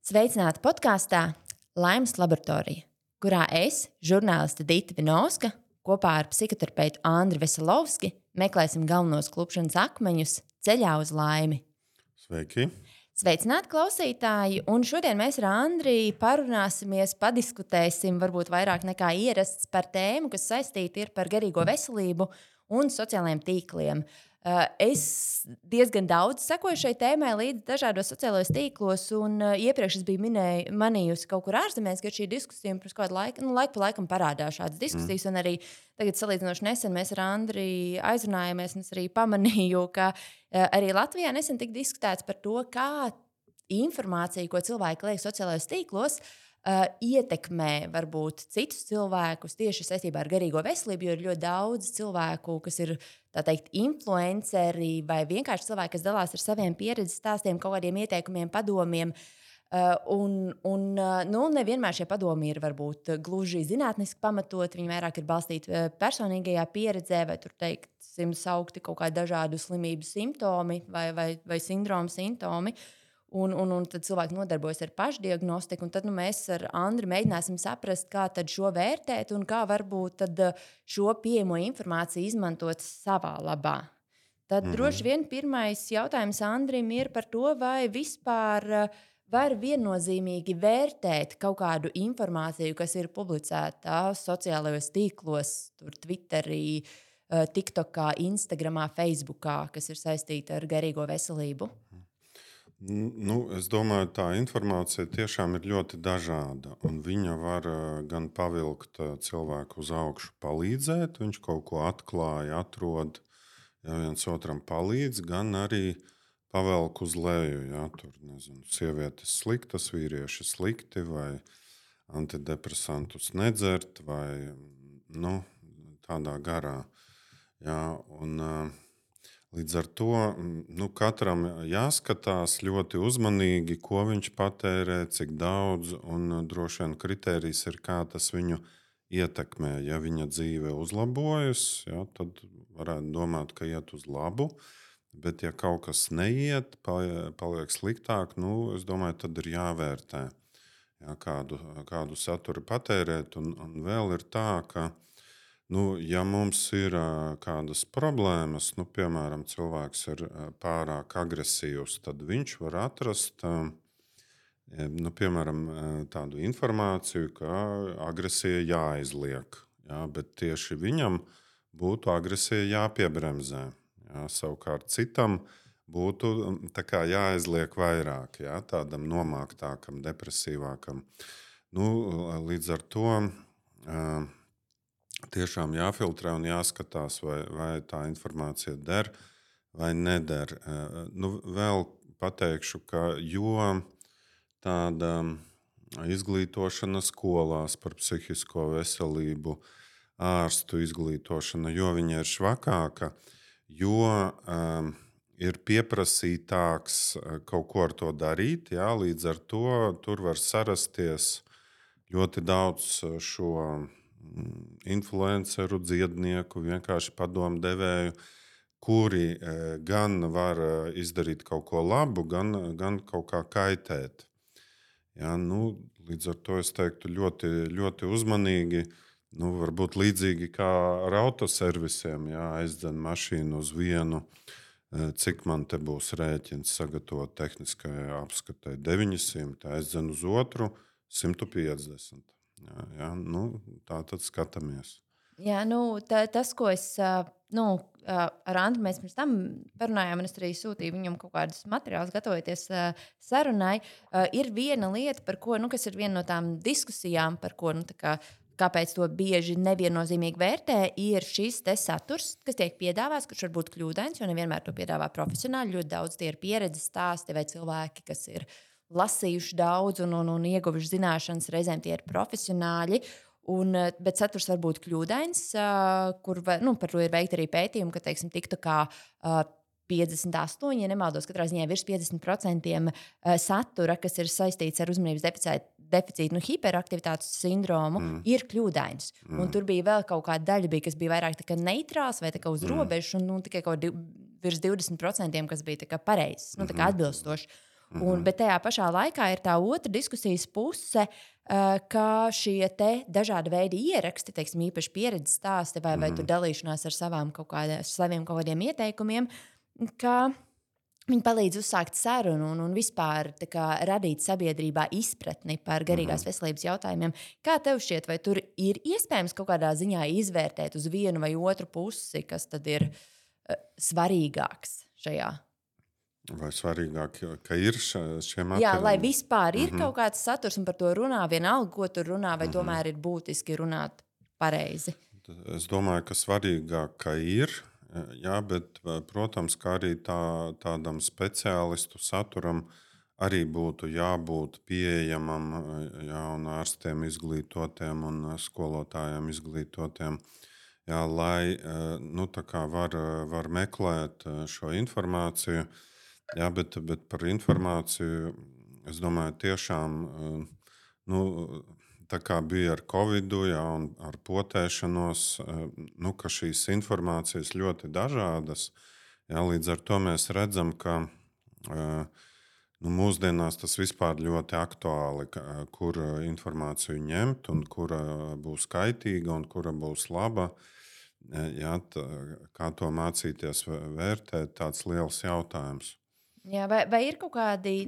Sveicināti podkāstā Laimes laboratorija, kurā es, žurnāliste Dita Vinovska, kopā ar psihoterapeitu Andri Veselovski meklēsim galvenos klupšanas akmeņus ceļā uz laimi. Sveiki! Sveicināti klausītāji, un šodien mēs ar Andriju parunāsimies, padiskutēsim varbūt vairāk nekā ierasts par tēmu, kas saistīta ir par garīgo veselību un sociālajiem tīkliem. Es diezgan daudz sekoju šai tēmai līdz dažādos sociālajos tīklos, un iepriekš es biju manījusi kaut kur ārzemēs, ka šī diskusija pirms kādu laiku, laiku pa laikam parādās šādas diskusijas, un arī tagad salīdzinoši nesen mēs ar Andriju aizrunājāmies, un es arī pamanīju, ka arī Latvijā nesen tika diskutēts par to, kā informācija, ko cilvēki liek sociālajos tīklos, ietekmē varbūt citus cilvēkus tieši saistībā ar garīgo veselību, jo ir ļoti daudz cilvēku, kas ir, tā teikt, influenceri vai vienkārši cilvēki, kas dalās ar saviem pieredzes stāstiem, kaut kādiem ieteikumiem, padomiem. Nevienmēr šie padomi ir varbūt gluži zinātniski pamatot, viņi vairāk ir balstīti personīgajā pieredzē, vai tur teiksim saukti kaut kādi dažādu slimību simptomi vai sindromu simptomi. Un tad cilvēki nodarbojas ar pašdiagnostiku, un tad mēs ar Andri mēģināsim saprast, kā tad šo vērtēt un kā varbūt tad šo pieejamo informāciju izmantot savā labā. Tad droši vien pirmais jautājums Andrim ir par to, vai vispār var viennozīmīgi vērtēt kaut kādu informāciju, kas ir publicēta sociālajos tīklos, tur Twitterī, TikTokā, Instagramā, Facebookā, kas ir saistīta ar garīgo veselību. Es domāju, tā informācija tiešām ir ļoti dažāda. Viņa var gan pavilkt cilvēku uz augšu, palīdzēt, viņš kaut ko atklāja, atrod, ja viens otram palīdz, gan arī pavelk uz leju. Ja, tur, sievietes sliktas, vīrieši slikti, vai antidepresantus nedzert, vai tādā garā. Ja, līdz ar to katram jāskatās ļoti uzmanīgi, ko viņš patērē, cik daudz, un droši vien kritērijs ir, kā tas viņu ietekmē. Ja viņa dzīve uzlabojas, ja, tad varētu domāt, ka iet uz labu, bet ja kaut kas neiet, paliek sliktāk, es domāju, tad ir jāvērtē, ja, kādu saturu patērēt, un vēl ir tā, ka ja mums ir kādas problēmas, piemēram, cilvēks ir pārāk agresīvs, tad viņš var atrast piemēram, tādu informāciju, ka agresija jāizliek. Ja, bet tieši viņam būtu agresija jāpiebremzē. Ja, savukārt citam būtu jāizliek vairāk, ja, tādam nomāktākam, depresīvākam. Līdz ar to tiešām jāfiltrē un jāskatās, vai tā informācija der vai neder. Vēl pateikšu, ka jo tāda izglītošana skolās par psihisko veselību, ārstu izglītošana, jo viņa ir švakāka, jo ir pieprasītāks kaut ko ar to darīt. Jā, līdz ar to tur var sarasties ļoti daudz šo influenceru, dziednieku, vienkārši padomu devēju, kuri gan var izdarīt kaut ko labu, gan kaut kā kaitēt. Ja, līdz ar to es teiktu ļoti, ļoti uzmanīgi, varbūt līdzīgi kā ar autoservisiem, ja, aizdzen mašīnu uz vienu, cik man te būs rēķins sagatavot tehniskajai apskatei 900, aizdzen uz otru 150. Jā, tā tad skatāmies. Jā, tas, ko es ar Andru mēs pirms tam parunājām, un es arī sūtīju viņam kaut kādus materiālus, gatavojoties sarunai, ir viena lieta, par ko, kas ir viena no tām diskusijām, par ko, kāpēc to bieži neviennozīmīgi vērtē, ir šis te saturs, kas tiek piedāvāts, kurš var būt kļūdains, jo nevienmēr to piedāvā profesionāļi. Ļoti daudz tie ir pieredzes stāsti vai cilvēki, kas ir lasījuši daudz un ieguvuši zināšanas, reizēm tie ir profesionāļi. Bet saturs var būt kļūdains, kur par to ir veikti arī pētījumi, ka, teiksim, TikTokā 58, ja nemaldos, katrā ziņā virs 50% satura, kas ir saistīts ar uzmanības deficītu, hiperaktivitātes sindromu, ir kļūdains. Un tur bija vēl kaut kāda daļa, kas bija vairāk neitrāls vai uz robežas, un tikai kaut virs 20%, kas bija pareizs, atbilstoši. Bet tajā pašā laikā ir tā otra diskusijas puse, ka šie dažādi veidi ieraksti, teiksim, īpaši pieredzes stāsti vai tur dalīšanās ar saviem kaut kādiem ieteikumiem, ka viņi palīdz uzsākt sarunu un vispār radīt sabiedrībā izpratni par garīgās veselības jautājumiem. Kā tev šķiet, vai tur ir iespējams kaut kādā ziņā izvērtēt uz vienu vai otru pusi, kas tad ir svarīgāks šajā? Vai svarīgāk, ka ir šie materiāli? Jā, lai vispār ir kaut kāds saturs un par to runā, vienalga, ko tur runā, vai tomēr ir būtiski runāt pareizi? Es domāju, ka svarīgāk, ka ir. Jā, bet, protams, kā arī tādam speciālistu saturam arī būtu jābūt pieejamam, jā, un ārstiem izglītotiem un skolotājiem izglītotiem, jā, lai var meklēt šo informāciju. Jā, bet par informāciju es domāju, tiešām tā kā bija ar Covid, jā, un ar potēšanos, ka šīs informācijas ļoti dažādas. Jā, līdz ar to mēs redzam, ka mūsdienās tas vispār ļoti aktuāli, kur informāciju ņemt, un kura būs kaitīga un kura būs laba. Jā, kā to mācīties vērtēt, tāds liels jautājums. Jā, vai ir kaut kādi,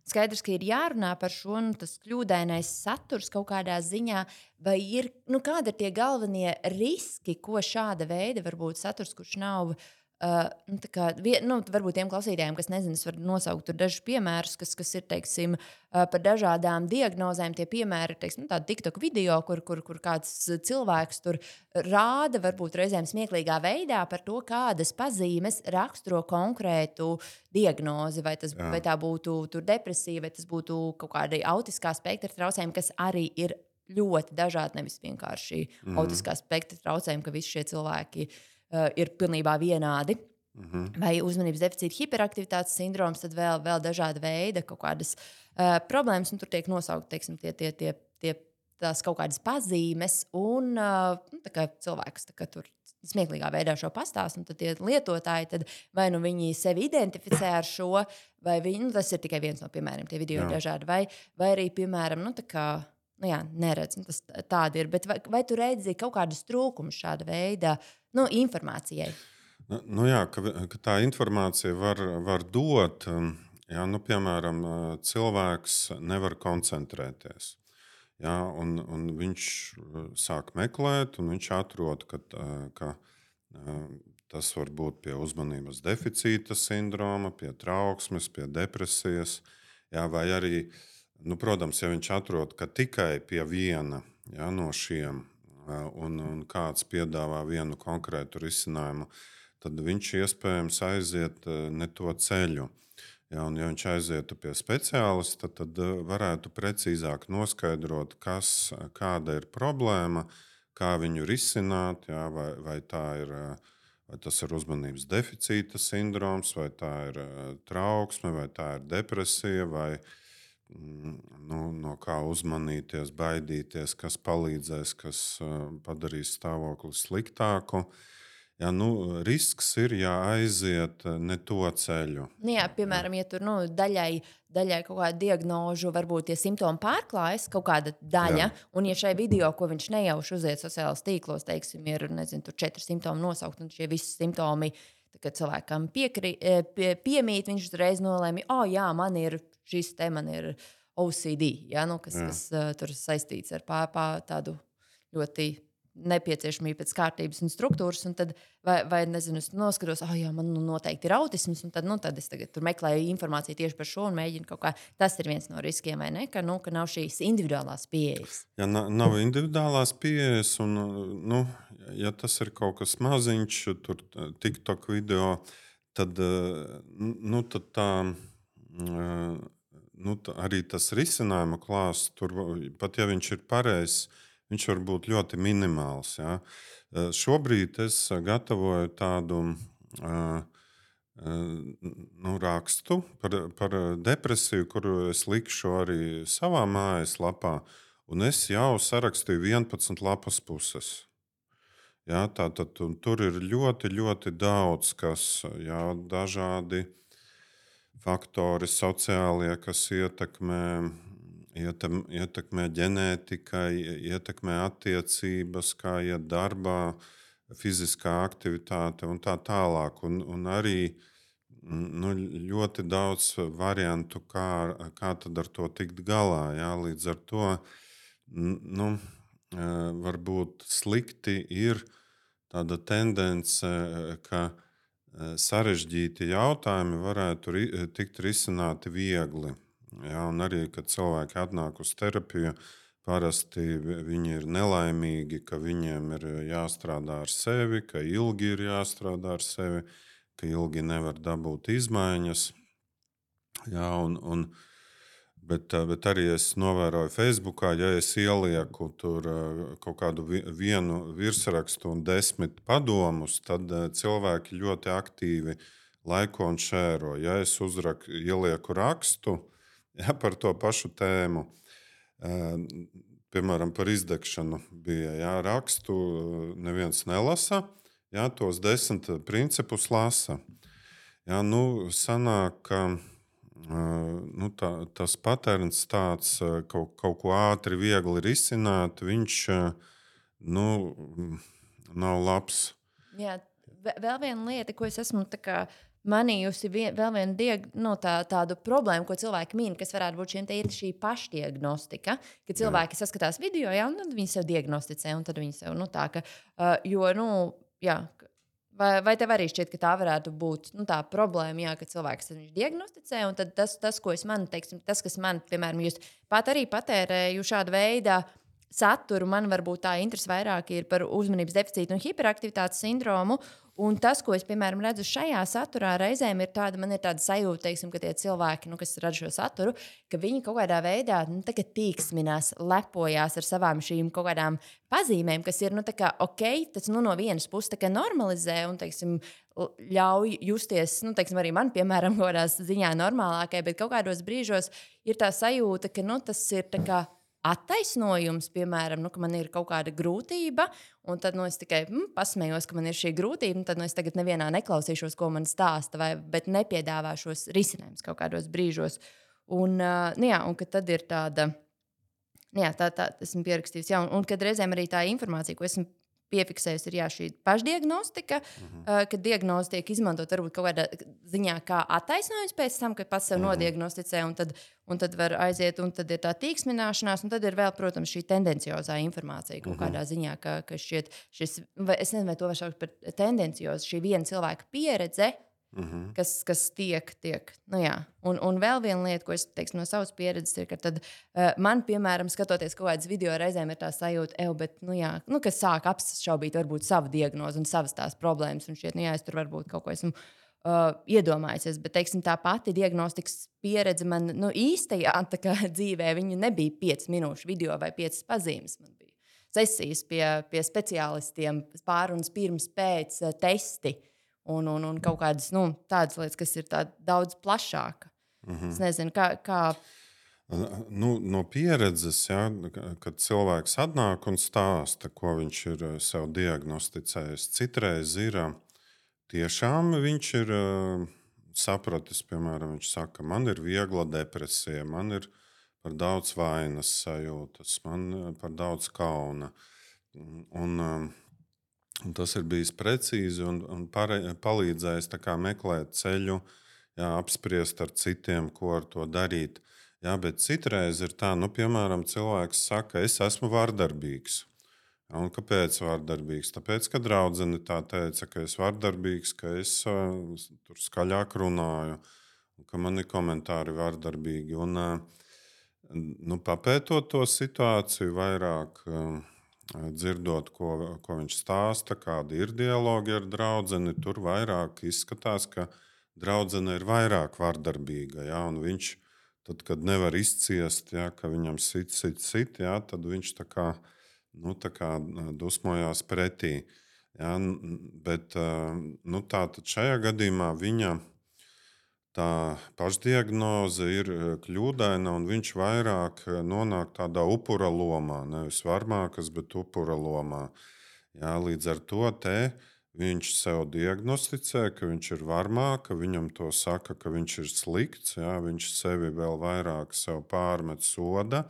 skaidrs, ka ir jārunā par šo, tas kļūdainais saturs kaut kādā ziņā, vai ir, kādi ir tie galvenie riski, ko šāda veida varbūt saturs, kurš nav, varbūt tiem klausītājiem, kas nezina, es varu nosaukt tur dažus piemērus, kas ir, teiksim, par dažādām diagnozēm. Tie piemēri ir, teiksim, tādi TikTok video, kur kāds cilvēks tur rāda, varbūt reizēm smieklīgā veidā par to, kādas pazīmes raksturo konkrētu diagnozi, vai tā būtu depresija, vai tas būtu kaut kādi autiskā spektra traucējumi, kas arī ir ļoti dažādi, nevis vienkārši autiskā spektra traucējumi, ka visi šie cilvēki ir pilnībā vienādi. Vai uzmanības deficīta hiperaktivitātes sindroms, tad vēl dažāda veida kaut kādas problēmas, un tur tiek nosaukt, teiksim, tās kaut kādas pazīmes, un cilvēks tur smieklīgā veidā šo pastāst, un tad tie lietotāji, tad vai nu viņi sevi identificē ar šo, vai viņi, tas ir tikai viens no piemēriem, tie video ir dažādi, vai arī, piemēram, neredz, tas tādi ir, bet vai tu redzi kaut kādus trūkumus šāda veida informācijai? Ka tā informācija var dot, jā, piemēram, cilvēks nevar koncentrēties. Jā, un viņš sāk meklēt, un viņš atrod, ka tas var būt pie uzmanības deficīta sindroma, pie trauksmes, pie depresijas, jā, vai arī, protams, ja viņš atrod, ka tikai pie viena, jā, no šiem un kāds piedāvā vienu konkrētu risinājumu, tad viņš iespējams aiziet ne to ceļu. Ja, ja viņš aizietu pie speciālista, tad varētu precīzāk noskaidrot, kāda ir problēma, kā viņu risināt, ja, vai tas ir uzmanības deficīta sindroms, vai tā ir trauksme, vai tā ir depresija, vai no kā uzmanīties, baidīties, kas palīdzēs, kas padarīs stāvokli sliktāku. Ja, risks ir jāaiziet ne to ceļu. Jā, piemēram, ja tur daļai kaut kāda diagnožu, varbūt tie simptomi pārklājas, kaut kāda daļa, un ja šai video, ko viņš nejauši uziet sociālajos tīklos, teiksim, ir, tur 4 simptomi nosaukt, un šie visi simptomi, kad cilvēkam piemīt, viņš uzreiz nolēma, jā, man ir šis te, man ir OCD, ja, kas tur saistīts ar tādu ļoti nepieciešamību pēc kārtības un struktūras, un tad, vai nezinu, es noskatos, man noteikti ir autisms, un tad es tagad tur meklēju informāciju tieši par šo un mēģinu kaut kā, tas ir viens no riskiem, vai ne, ka nav šīs individuālās pieejas. Ja nav individuālās pieejas, un, ja tas ir kaut kas maziņš, tur TikTok video, tad tā, arī tas risinājuma klāsts, tur, pat ja viņš ir pareizs, viņš var būt ļoti minimāls. Ja. Šobrīd es gatavoju tādu rakstu par depresiju, kuru es likšu arī savā mājaslapā, un es jau sarakstīju 11 lapas puses. Ja, tātad tur ir ļoti, ļoti daudz, kas dažādi faktori sociālie, kas ietekmē ģenētika, ietekmē attiecības, kā iet darbā, fiziskā aktivitāte un tā tālāk. Un arī nu, ļoti daudz variantu, kā tad ar to tikt galā. Jā. Līdz ar to nu, varbūt slikti ir tāda tendence, ka sarežģīti jautājumi varētu tikt risināti viegli. Jā, un arī, kad cilvēki atnāk uz terapiju, parasti viņi ir nelaimīgi, ka viņiem ir jāstrādā ar sevi, ka ilgi ir jāstrādā ar sevi, ka ilgi nevar dabūt izmaiņas. Jā, bet arī es novēroju Facebookā, ja es ielieku tur kaut kādu vienu virsrakstu un 10 padomus, tad cilvēki ļoti aktīvi laiko un šēro. Ja es ielieku rakstu par to pašu tēmu, piemēram, par izdegšanu bija rakstu, neviens nelasa, tos 10 principus lasa. Nu, sanāk, ka tas patērns tāds kaut ko ātri, viegli risināt, viņš nav labs. Jā, vēl viena lieta, ko es esmu manījusi, vēl viena tādu problēmu, ko cilvēki min, kas varētu būt šī pašdiagnostika, ka cilvēki saskatās video, un tad viņi sev diagnosticē, un tad viņi sev tā, ka, vai tev arī šķiet, ka tā varētu būt tā problēma, ka cilvēks diagnosticē, un tad tas, ko es manu, tas, kas man, piemēram, jūs pat arī patērēju šādu veidu saturu, man varbūt tā interese vairāk ir par uzmanības deficītu un hiperaktivitātes sindromu. Un tas, ko es, piemēram, redzu šajā saturā, reizēm ir tāda sajūta, ka tie cilvēki, kas rada šo saturu, ka viņi kaut kādā veidā tīksminās, lepojās ar savām šīm kaut kādām pazīmēm, kas ir ok, tas no vienas puses normalizē un ļauj justies, arī man, piemēram, kaut kādās ziņā normālākai, bet kaut kādos brīžos ir tā sajūta, ka tas ir attaisnojums, piemēram, ka man ir kaut kāda grūtība, un tad es tikai pasmējos, ka man ir šī grūtība, un tad es tagad nevienā neklausīšos, ko man stāsta, bet nepiedāvāšos risinājumus kaut kādos brīžos. Un ka tad ir tāda, esmu pierakstījusi, un kad reizēm arī tā informācija, ko esmu piefiksējusi, ir šī pašdiagnostika, kad diagnoze tiek izmantot varbūt kaut kādā ziņā kā attaisnojums pēc tam, kad pats sev nodiagnosticē, un tad var aiziet, un tad ir tā tīksmināšanās, un tad ir vēl, protams, šī tendenciozā informācija kaut kādā ziņā, ka šķiet šis, es nezinu, vai to var saukt par tendenciozu, šī viena cilvēka pieredze, kas tiek. Un vēl viena lieta, ko es teiktu no savas pieredzes, ir, ka tad, man, piemēram, skatoties kaut kādas video, reizēm ir tā sajūta, ka sāk apšaubīt varbūt savu diagnozi un savas tās problēmas. Un šķiet, es tur varbūt kaut ko esmu iedomājusies. Bet, tā pati diagnostikas pieredze man īstajā dzīvē, viņa nebija 5 minūšu video vai 5 pazīmes. Man bija sesijas pie speciālistiem, pārunas pirms, pēc testi. Un kaut kādas tādas lietas, kas ir daudz plašākas. Es nezinu, kā. No pieredzes, kad cilvēks atnāk un stāsta, ko viņš ir sev diagnosticējis, citreiz ir tiešām viņš ir sapratis, piemēram, viņš saka, man ir viegla depresija, man ir par daudz vainas sajūtas, man par daudz kauna. Un tas ir bijis precīzi un palīdzējis meklēt ceļu, apspriest ar citiem, ko ar to darīt. Bet citreiz ir tā, piemēram, cilvēks saka, es esmu vardarbīgs. Un kāpēc vardarbīgs? Tāpēc, ka draudzene tā teica, ka es vardarbīgs, ka es tur skaļāk runāju, ka mani komentāri vardarbīgi. Un papētot to situāciju vairāk, dzirdot, ko viņš stāsta, kādi ir dialogi ar draudzeni, tur vairāk izskatās, ka draudzene ir vairāk vardarbīga. Un viņš, tad, kad nevar izciest, ka viņam sit, tad viņš tā kā dusmojās pretī. Bet tātad šajā gadījumā viņa tā pašdiagnoze ir kļūdaina, un viņš vairāk nonāk tādā upura lomā, nevis varmākas, bet upura lomā. Līdz ar to viņš sev diagnosticē, ka viņš ir varmā, ka viņam to saka, ka viņš ir slikts, jā, viņš sevi vēl vairāk sev pārmet soda,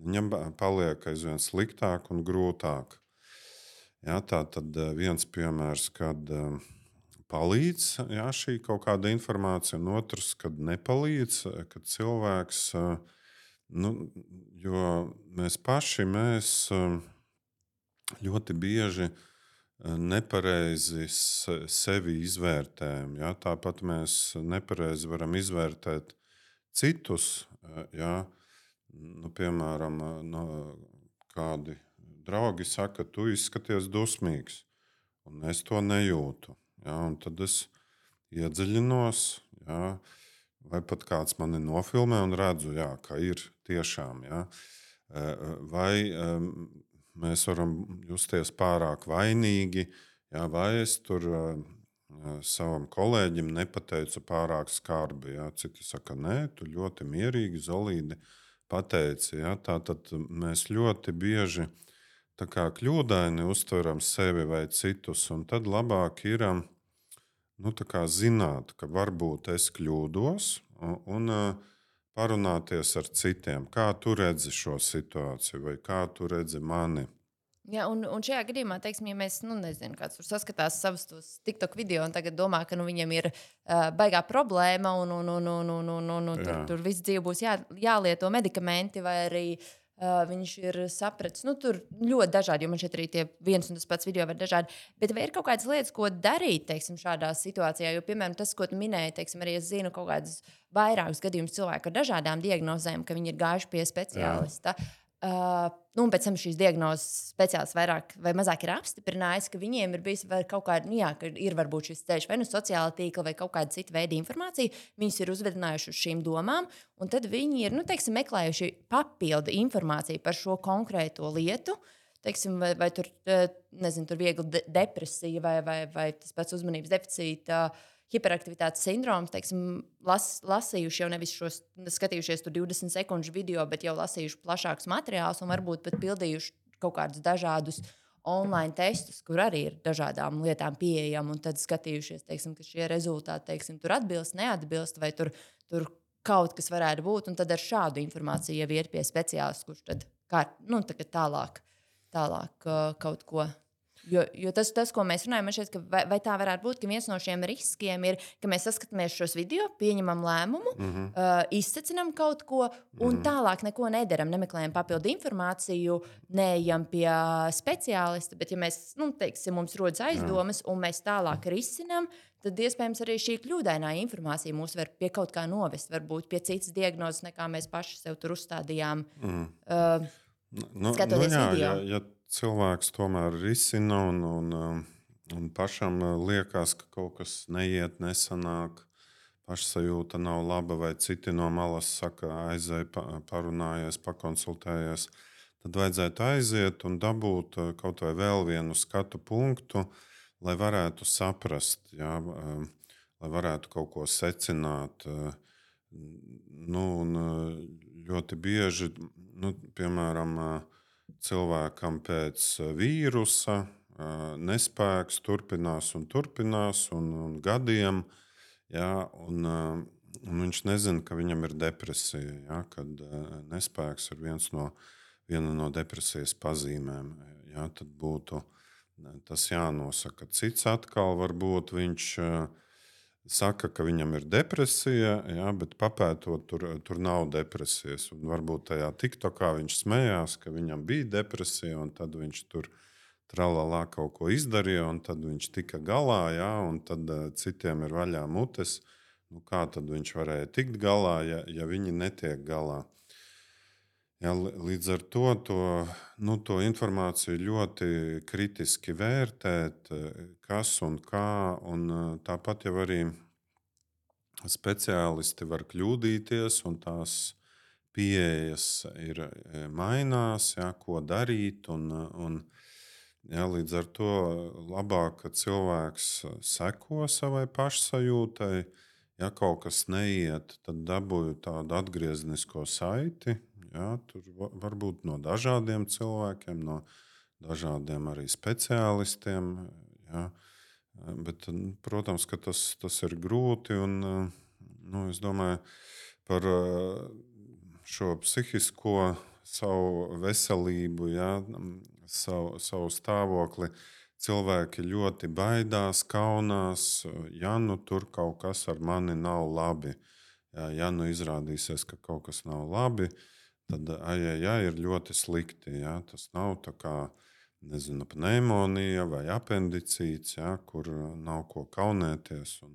viņam paliek aizvien sliktāk un grūtāk. Jā, tā tad viens piemērs, kad palīdz jā, šī kaut kāda informācija, un otrs, kad nepalīdz, kad cilvēks, nu, jo mēs paši ļoti bieži nepareizi sevi izvērtējam. Ja? Tāpat mēs nepareizi varam izvērtēt citus. Ja? Nu, piemēram, no, kādi draugi saka, tu izskaties dusmīgs, un es to nejūtu. Ja? Un tad es iedziļinos, ja? Vai pat kāds mani nofilmē un redzu, ja, ka ir tiešām. Ja? Vai mēs varam justies pārāk vainīgi, jā, vai es tur savam kolēģim nepateicu pārāk skarbi. Jā. Citi saka, nē, tu ļoti mierīgi, zelīdi pateici. Jā. Tātad mēs ļoti bieži tā kā kļūdaini uztveram sevi vai citus, un tad labāk ir nu, tā kā zināt, ka varbūt es kļūdos un parunāties ar citiem. Kā tu redzi šo situāciju, vai kā tu redzi mani? Jā, un šajā gadījumā, teiksim, ja mēs, nu, nezinu, kāds tur saskatās savus tos TikTok video un tagad domā, ka viņam ir baigā problēma un tur viss dzīve būs jālieto medikamenti vai arī viņš ir sapratis, nu, tur ļoti dažādi, jo man šeit arī tie viens un tas pats video var dažādi. Bet vai ir kaut kādas lietas, ko darīt, teiksim, šādā situācijā? Jo, piemēram, tas, ko tu minēji, teiksim, arī es zinu kaut kādus vairākus gadījumus cilvēku ar dažādām diagnozēm, ka viņi ir gājuši pie speciālista. Nu, un pēc tam šīs diagnozes speciālists vairāk vai mazāk ir apstiprinājis, ka viņiem ir bijis kaut kāda, nu, jā, ka ir varbūt šis ceļš vai nu sociālā tīkla vai kaut kāda cita veida informācija. Viņus ir uzvedinājuši uz šīm domām, un tad viņi ir, nu, teiksim, meklējuši papildu informāciju par šo konkrēto lietu. Teiksim, vai tur, nezinu, tur viegli depresija vai tas pats uzmanības deficīta. Hiperaktivitātes sindroms, teiksim, lasījuši jau nevis šos, skatījušies tur 20 sekundžu video, bet jau lasījuši plašākus materiālus un varbūt pat pildījuši kaut kādus dažādus online testus, kur arī ir dažādām lietām pieejami, un tad skatījušies, teiksim, ka šie rezultāti, teiksim, tur atbilst, neatbilst, vai tur kaut kas varētu būt, un tad ar šādu informāciju jau iet pie speciālista, kurš tad nu, tālāk kaut ko. Jo tas, ko mēs runājam, man šķiet, ka vai tā varētu būt, ka viens no šiem riskiem ir, ka mēs saskatāmies šos video, pieņemam lēmumu, izsecinām kaut ko un tālāk neko nedaram, nemeklējam papildu informāciju, neejam pie speciālista, bet ja mēs, nu, teiksim, mums rodas aizdomas un mēs tālāk risinām, tad iespējams arī šī kļūdainā informācija mūs var pie kaut kā novest, varbūt pie citas diagnozes, nekā mēs paši sev tur uzstādījām, skatoties video. Ja cilvēks tomēr risina un pašam liekas, ka kaut kas neiet, nesanāk, pašsajūta nav laba, vai citi no malas saka, aizej, parunājies, pakonsultējies, tad vajadzētu aiziet un dabūt kaut vai vēl vienu skatu punktu, lai varētu saprast, jā, lai varētu kaut ko secināt. Nu, un ļoti bieži, nu, piemēram, cilvēkam pēc vīrusa nespēks turpinās un gadiem, jā, un viņš nezina, ka viņam ir depresija, jā, kad nespēks ir viena no depresijas pazīmēm. Jā, tad būtu tas jānosaka. Cits atkal varbūt viņš saka, ka viņam ir depresija, jā, bet papētot, tur nav depresijas. Un varbūt tajā TikTokā viņš smējās, ka viņam bija depresija, un tad viņš tur tralalā kaut ko izdarīja, un tad viņš tika galā, jā, un tad citiem ir vaļā mutes. Nu, kā tad viņš varēja tikt galā, ja viņi netiek galā? Jā, līdz ar to informāciju ļoti kritiski vērtēt, kas un kā. Un tāpat jau arī speciālisti var kļūdīties, un tās pieejas ir mainās, jā, ko darīt. Jā, līdz ar to labāk, ka cilvēks seko savai pašsajūtai. Ja kaut kas neiet, tad dabūju tādu atgrieznisko saiti. Jā, tur var būt no dažādiem cilvēkiem, no dažādiem arī speciālistiem. Jā. Bet, protams, ka tas ir grūti. Un, es domāju par šo psihisko savu veselību, ja, savu stāvokli. Cilvēki ļoti baidās, kaunās, ja nu tur kaut kas ar mani nav labi. Ja nu izrādīsies, ka kaut kas nav labi, tad ir ļoti slikti. Ja? Tas nav tā kā nezinu, pneimonija vai apendicīts, ja? Kur nav ko kaunēties, un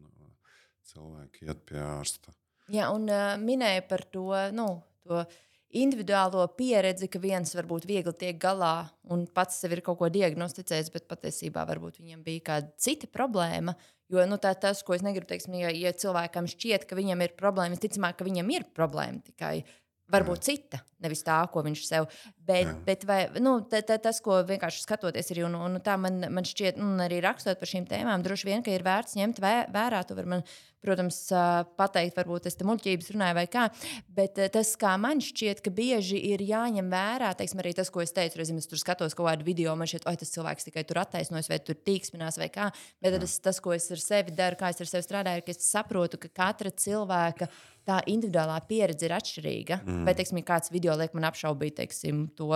cilvēki iet pie ārsta. Jā, un minēja par to, to individuālo pieredzi, ka viens varbūt viegli tiek galā un pats sev ir kaut ko diagnosticējis, bet patiesībā varbūt viņam bija kāda cita problēma. Jo tas, ko es negribu teikt, ja cilvēkam šķiet, ka viņam ir problēma, visticamāk, ka viņam ir problēma tikai varbūt cita, nevis tā, ko viņš sev. Bet vai, tas, ko vienkārši skatoties, ir un tā man šķiet, arī rakstot par šīm tēmām, droši vien, ka ir vērts ņemt vērā. Tu vari man, protams, pateikt, varbūt es te muļķības runāju vai kā, bet tas, kā man šķiet, ka bieži ir jāņem vērā, teiksim, arī tas, ko es teicu, reizēm es tur skatos kaut kādu video, man šķiet, tas cilvēks tikai tur attaisnojas vai tur tīksminās vai kā, bet tas, ko es ar sevi daru, kā es ar sevi strādāju, ir, ka es saprotu, ka katra cilvēka tā individuālā pieredze ir atšķirīga. Vai, teiksim, ja kāds video liek man apšaubīt, teiksim, to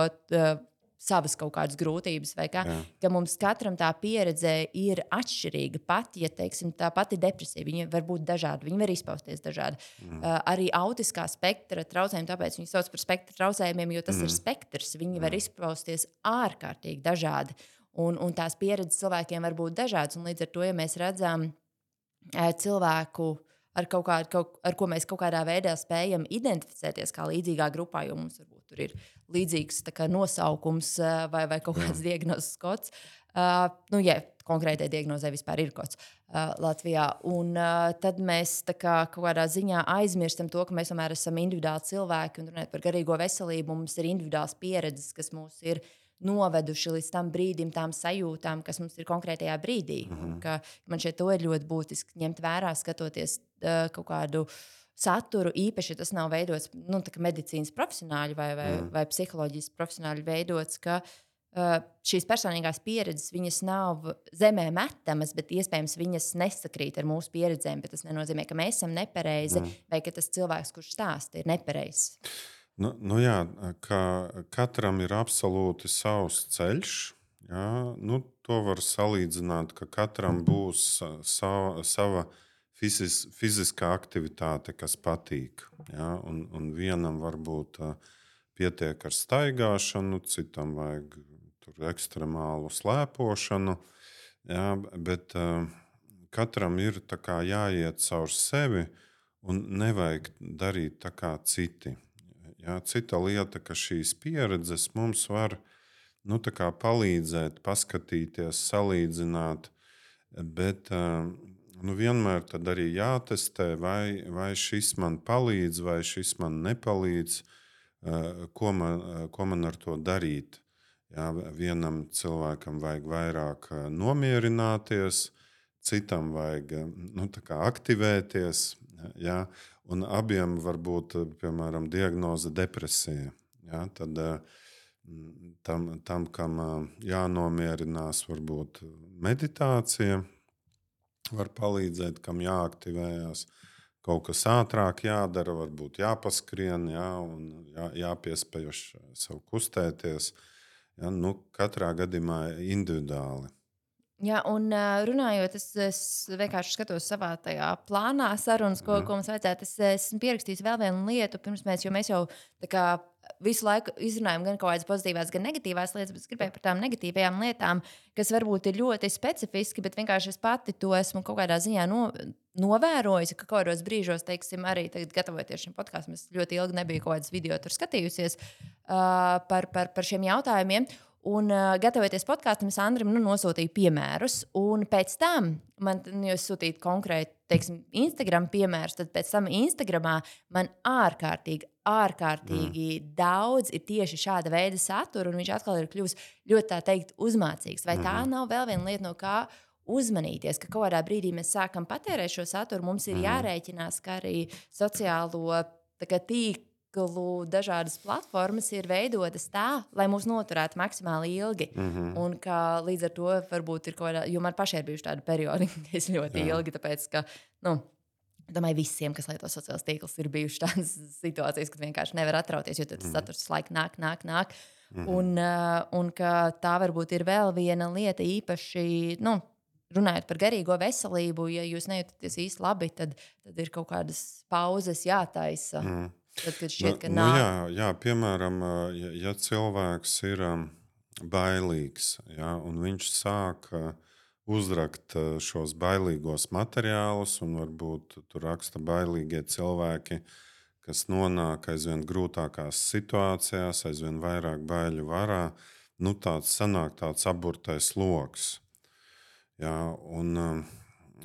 savas kaut kādas grūtības, vai kā, ka mums katram tā pieredze ir atšķirīga. Pat, ja, teiksim, tā pati depresija, viņa var būt dažāda, viņa var izpausties dažādi. Arī autiskā spektra traucējumi, tāpēc viņi sauc par spektra traucējumiem, jo tas ir spektrs, viņi var izpausties ārkārtīgi dažādi. Un tās pieredzes cilvēkiem var būt dažādas, un līdz ar to, ja mēs redzam cilvēku, ar ko mēs kaut kādā veidā spējam identificēties kā līdzīgā grupā, jo mums varbūt tur ir līdzīgs nosaukums vai kaut kāds diagnozes kods. Konkrētai diagnozē vispār ir kods Latvijā. Un tad mēs kaut kādā ziņā aizmirstam to, ka mēs tomēr esam individuāli cilvēki un runājot par garīgo veselību, mums ir individuāls pieredzes, kas mūs ir noveduši līdz tam brīdim, tām sajūtām, kas mums ir konkrētajā brīdī. Man šeit to ir ļoti būtiski ņemt vērā, skatoties kaut kādu saturu, īpaši, ja tas nav veidots medicīnas profesionāļi vai psiholoģijas profesionāļi veidots, ka šīs personīgās pieredzes, viņas nav zemē metamas, bet iespējams viņas nesakrīt ar mūsu pieredzēm, bet tas nenozīmē, ka mēs esam nepareizi vai ka tas cilvēks, kurš stāsta, ir nepareizs. Jā, ka katram ir absolūti savs ceļš. Jā, to var salīdzināt, ka katram būs sava fiziskā aktivitāte, kas patīk. Jā, un vienam varbūt pietiek ar staigāšanu, citam vajag ekstremālu slēpošanu. Jā, bet katram ir jāiet caur sevi un nevajag darīt tā kā citi. Jā, cita lieta, ka šīs pieredzes mums var palīdzēt, paskatīties, salīdzināt, bet vienmēr tad arī jātestē, vai šis man palīdz, vai šis man nepalīdz, ko man ar to darīt. Jā, vienam cilvēkam vajag vairāk nomierināties, citam vajag aktivēties. Jā, un abiem var būt, piemēram, diagnoze depresija. Ja, tad tam, kam jānomierinās, varbūt meditācija var palīdzēt, kam jāaktivējās. Kaut kas ātrāk jādara, varbūt jāpaskrien, un jāpiespiež sev kustēties. Ja, katrā gadījumā individuāli. Jā, un runājot, es vienkārši skatos savā tajā plānā sarunas, ko mums vajadzētu. Es esmu pierakstījis vēl vienu lietu, jo mēs jau visu laiku izrunājam gan kaut kādas pozitīvās, gan negatīvās lietas, bet es gribēju par tām negatīvajām lietām, kas varbūt ir ļoti specifiski, bet vienkārši es pati to esmu kaut kādā ziņā novērojusi, ka kaut kādos brīžos, teiksim, arī tagad gatavoties šim podkastam, es ļoti ilgi nebiju kaut kādas video tur skatījusies par šiem jautājumiem. Un, gatavoties podkāstam, es Andrim nosūtīju piemērus. Un pēc tam man sūtīja konkrēti, teiksim, Instagram piemērus. Tad pēc tam Instagramā man ārkārtīgi daudz ir tieši šāda veida satura. Un viņš atkal ir kļuvis ļoti, tā teikt, uzmācīgs. Vai tā nav vēl viena lieta, no kā uzmanīties, ka kaut kādā brīdī mēs sākam patērēt šo saturu? Mums ir jārēķinās, ka arī sociālo tīklu tīklu dažādas platformas ir veidotas tā, lai mūs noturētu maksimāli ilgi. Un ka līdz ar to varbūt ir kaut kāda, jo man pašai ir bijuši tādi periodi, ka es ļoti ilgi, tāpēc ka, domāju, visiem, kas lieto sociālos tīklus, ir bijušas tādas situācijas, kad vienkārši nevar atrauties, jo tas saturs visu laiku nāk. Un ka tā varbūt ir vēl viena lieta īpaši, runājot par garīgo veselību, ja jūs nejūtaties īsti labi, tad ir kaut kādas pauzes jātaisa. Tad, kad šķiet, ka nāk. Jā, piemēram, ja cilvēks ir bailīgs, un viņš sāk uzrakt šos bailīgos materiālus, un varbūt tur raksta bailīgie cilvēki, kas nonāk aizvien grūtākās situācijās, aizvien vairāk baiļu varā, sanāk tāds aburtais loks. Un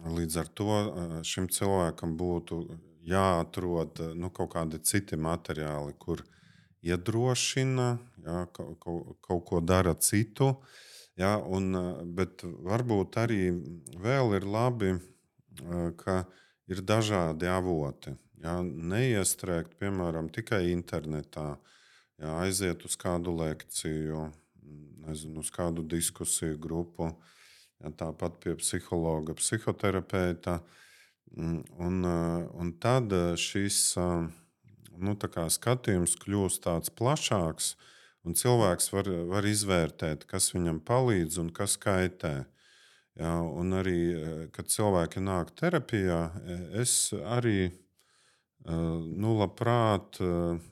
līdz ar to šim cilvēkam būtu jāatrod kaut kādi citi materiāli, kur iedrošina, kaut ko dara citu. Bet varbūt arī vēl ir labi, ka ir dažādi avoti. Neiestrēgt, piemēram, tikai internetā, aiziet uz kādu lekciju, uz kādu diskusiju grupu. Tāpat pie psihologa, psihoterapeita. Un tad šis skatījums kļūst tāds plašāks, un cilvēks var izvērtēt, kas viņam palīdz un kas kaitē. Un arī, kad cilvēki nāk terapijā, es arī labprāt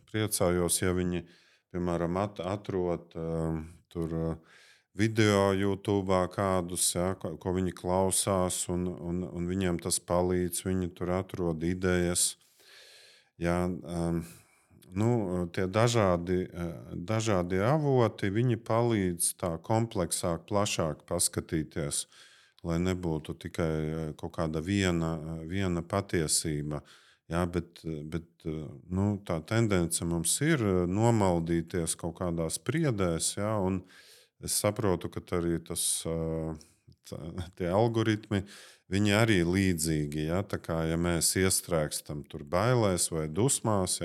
priecājos, ja viņi, piemēram, atrod tur video YouTube kādus, ko viņi klausās, un viņiem tas palīdz. Viņi tur atrod idejas. Tie dažādi avoti, viņi palīdz tā kompleksāk, plašāk paskatīties, lai nebūtu tikai kaut kāda viena patiesība. Bet tā tendence mums ir nomaldīties kaut kādās priedēs, un es saprotu, ka arī tie algoritmi, viņi arī līdzīgi. Tā kā ja mēs iestrēgstam tur bailēs vai dusmās,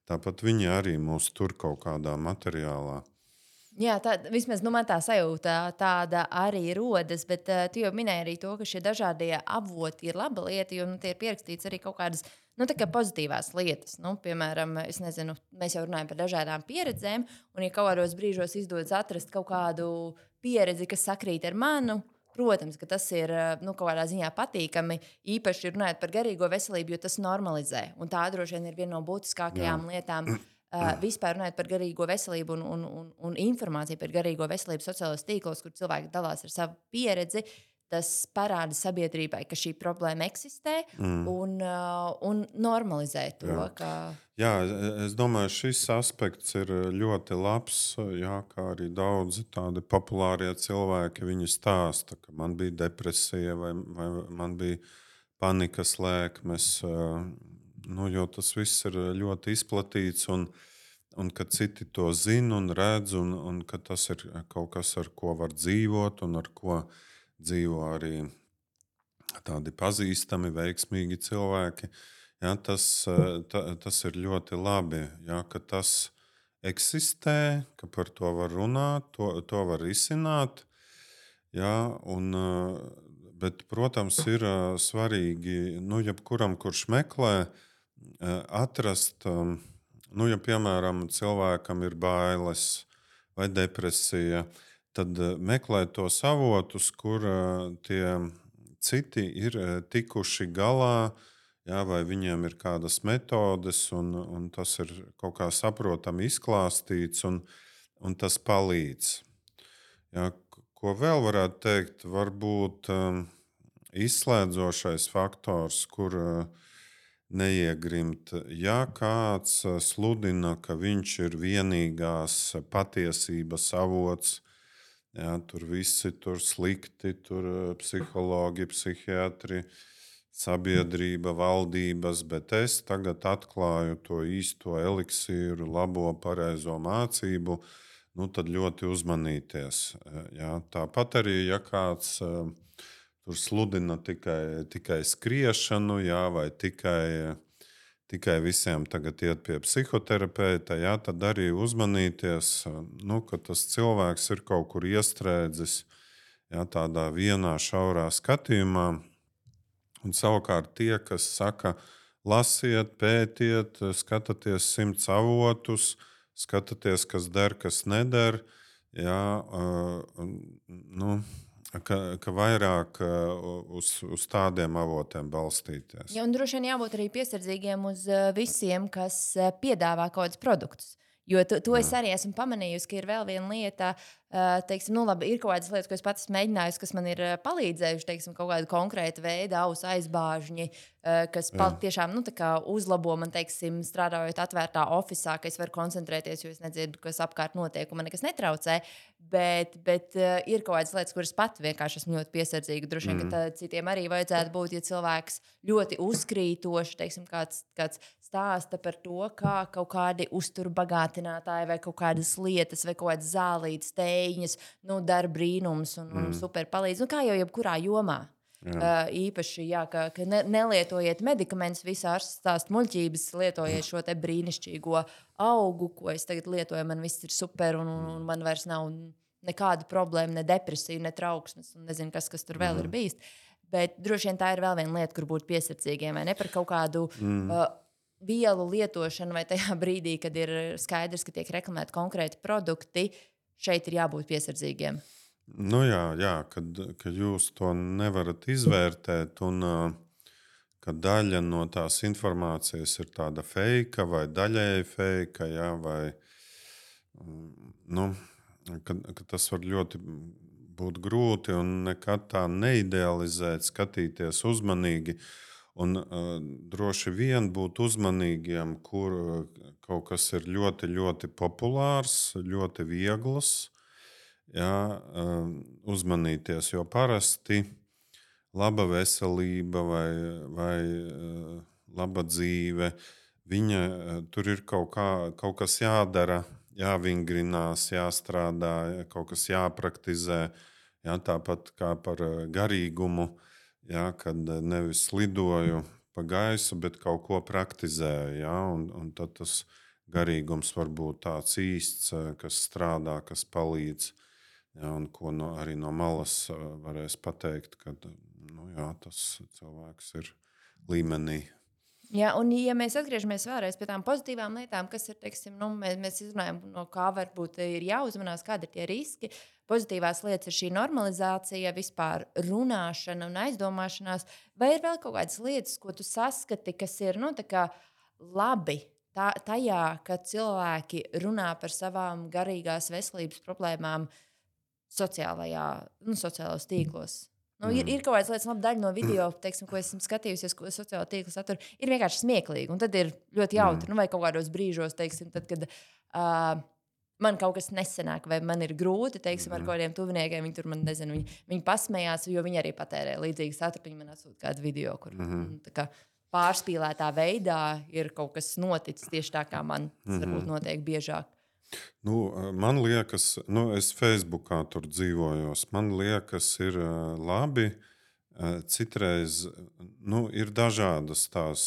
tāpat viņi arī mūs tur kaut kādā materiālā. Jā, vismaz man tā sajūta tāda arī rodas, bet tu jau minēji arī to, ka šie dažādie avoti ir laba lieta, jo tie ir pierakstīts arī kaut kādas pozitīvās lietas. Piemēram, es nezinu, mēs jau runājam par dažādām pieredzēm, un ja kaut kādos brīžos izdodas atrast kaut kādu pieredzi, kas sakrīt ar manu, protams, ka tas ir kaut kādā ziņā patīkami, īpaši runājot par garīgo veselību, jo tas normalizē. Un tā droši vien ir viena no būtiskākajām lietām. Vispār runājot par garīgo veselību un informāciju par garīgo veselību sociālajos tīklos, kur cilvēki dalās ar savu pieredzi, tas parāda sabiedrībai, ka šī problēma eksistē un normalizē to. Jā, es domāju, šis aspekts ir ļoti labs, kā arī daudzi tādi populārie cilvēki, viņi stāsta, ka man bija depresija vai man bija panikas lēkmes, jo tas viss ir ļoti izplatīts un ka citi to zina un redz, un ka tas ir kaut kas, ar ko var dzīvot un ar ko dzīvo arī tādi pazīstami, veiksmīgi cilvēki. Tas ir ļoti labi, ka tas eksistē, ka par to var runāt, to var risināt. Bet, protams, ir svarīgi jebkuram, kurš meklē, atrast, ja piemēram cilvēkam ir bailes vai depresija, tad meklēt tos avotus, kur tie citi ir tikuši galā, vai viņiem ir kādas metodes, un tas ir kaut kā saprotami izklāstīts, un tas palīdz. Ko vēl varētu teikt? Varbūt izslēdzošais faktors, kur neiegrimt. Ja kāds sludina, ka viņš ir vienīgās patiesības avots, tur visi tur slikti, tur psihologi, psihiatri, sabiedrība, valdības, bet es tagad atklāju to īsto eliksīru, labo, pareizo mācību, tad ļoti uzmanīties. Tāpat arī, ja kāds tur sludina tikai skriešanu, vai tikai tikai visiem tagad iet pie psihoterapeita, jā, tad arī uzmanīties, ka tas cilvēks ir kaut kur iestrēdzis, jā, tādā vienā šaurā skatījumā. Un savukārt tie, kas saka, lasiet, pētiet, skatieties 100 avotus, skatieties, kas der, kas neder, jā, ka vairāk uz tādiem avotiem balstīties. Ja, un droši vien jābūt arī piesardzīgiem uz visiem, kas piedāvā kaut kādus produktus. Jo to es arī esmu pamanījusi, ka ir vēl viena lieta, teiksim, labi, ir kaut kādas lietas, ko es pats mēģināju, kas man ir palīdzējuši, teiksim, kaut kāda konkrēta veida ausu aizbāžņi, kas tiešām uzlabo man, teiksim, strādājot atvērtā ofisā, ka es varu koncentrēties, jo es nedzirdu, kas apkārt notiek, un man nekas netraucē. Bet ir kaut kādas lietas, kuras pat vienkārši esmu ļoti piesardzīga. Droši vien, ka citiem arī vajadzētu būt, ja cilvēks ļoti uzkrītoši, teiksim, kāds stāsta par to, kā kaut kādi uzturbagātinātāji vai kaut kādas lietas vai kaut kādas zālītas tēņas dara brīnums un super palīdz. Kā jau jebkurā jomā. Īpaši, ka nelietojiet medikamentus, visi ārsti stāsta muļķības, lietojiet šo te brīnišķīgo augu, ko es tagad lietoju, man viss ir super un man vairs nav nekāda problēma, ne depresija, ne trauksmes un nezinu, kas tur vēl ir bijis. Bet droši vien tā ir vēl viena lieta, kur būt piesardzīgiem, vai ne par kaut kādu vielu lietošanu, vai tajā brīdī, kad ir skaidrs, ka tiek reklamēti konkrēti produkti, šeit ir jābūt piesardzīgiem. Kad jūs to nevarat izvērtēt un ka daļa no tās informācijas ir tāda fake vai daļēji fake, vai ka tas var ļoti būt grūti un nekad tā neidealizēt, skatīties uzmanīgi. Un droši vien būt uzmanīgiem, kur kaut kas ir ļoti, ļoti populārs, ļoti viegls. Jā, uzmanīties, jo parasti laba veselība vai laba dzīve, tur ir kaut kas jādara, jāvingrinās, jāstrādā, kaut kas jāpraktizē. Jā, tāpat kā par garīgumu, jā, kad nevis lidoju pa gaisu, bet kaut ko praktizēju. Jā, un tad tas garīgums var būt tāds īsts, kas strādā, kas palīdz. Ja, un ko arī no malas varēs pateikt, ka tas cilvēks ir līmenī. Jā, un ja mēs atgriežamies vēlreiz pie tām pozitīvām lietām, kas ir, teiksim, mēs izrunājam, no kā varbūt ir jāuzmanās, kādi ir tie riski. Pozitīvās lietas ir šī normalizācija, vispār runāšana un aizdomāšanās. Vai ir vēl kaut kādas lietas, ko tu saskati, kas ir labi tajā, ka cilvēki runā par savām garīgās veselības problēmām sociālajos tīklos? Ir kaut kādas lietas, daļa no video, teiksim, ko esmu skatījusies, ko sociālo tīklu satura, ir vienkārši smieklīgi. Un tad ir ļoti jautri, vai kaut kādos brīžos, teiksim, tad, kad man kaut kas nesenāk, vai man ir grūti, teiksim, ar kādiem tuviniekiem, viņi tur man nezinu, viņi pasmējās, jo viņi arī patērē līdzīgi saturu, viņi man atsūta kādu video, kur pārspīlētā veidā ir kaut kas noticis tieši tā, kā man varbūt notiek biežāk. Man liekas, es Facebookā tur dzīvojos. Man liekas, ir labi. Citreiz ir dažādas tās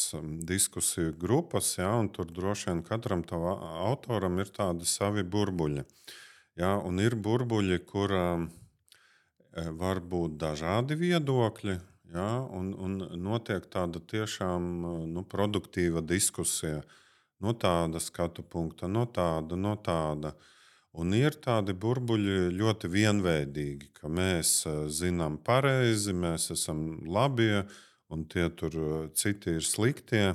diskusiju grupas, ja, un tur droši vien katram autoram ir tādi savi burbuļi. Ja, un ir burbuļi, kur var būt dažādi viedokļi, ja, un notiek tāda tiešām produktīva diskusija. No tāda skatu punkta, no tāda. Un ir tādi burbuļi ļoti vienveidīgi, ka mēs zinām pareizi, mēs esam labie, un tie tur citi ir sliktie.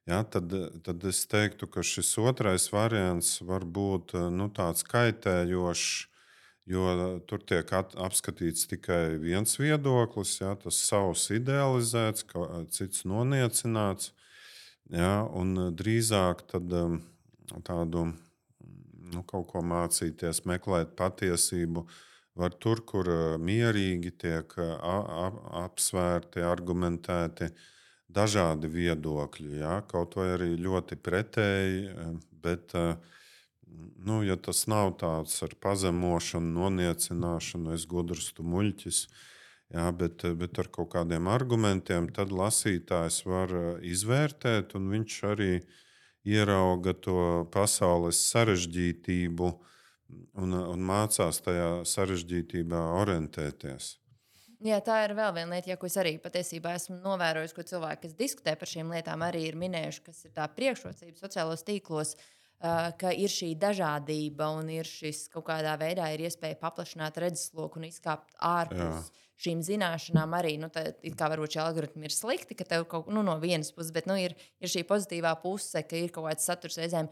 Ja, tad es teiktu, ka šis otrais variants var būt tāds kaitējošs, jo tur tiek apskatīts tikai viens viedoklis, ja, tas savs idealizēts, cits noniecināts. Ja, un drīzāk tādu kaut ko mācīties, meklēt patiesību var tur, kur mierīgi tiek apsvērti, argumentēti dažādi viedokļi. Ja, kaut vai arī ļoti pretēji, bet ja tas nav tāds ar pazemošanu, noniecināšanu, es gudrs, tu muļķis. Jā, bet ar kaut kādiem argumentiem tad lasītājs var izvērtēt, un viņš arī ierauga to pasaules sarežģītību un mācās tajā sarežģītībā orientēties. Jā, tā ir vēl viena lieta, ko es arī patiesībā esmu novērojis, ko cilvēki, kas diskutē par šīm lietām, arī ir minējuši, kas ir tā priekšrocība sociālos tīklos, ka ir šī dažādība un ir šis kaut kādā veidā ir iespēja paplašināt redzesloku un izkāpt ārpus šīm zināšanām. Arī kā varbūt šie algoritmi ir slikti, ka tev kaut kā no vienas puses, bet ir šī pozitīvā puse, ka ir kaut kāds saturs reizēm,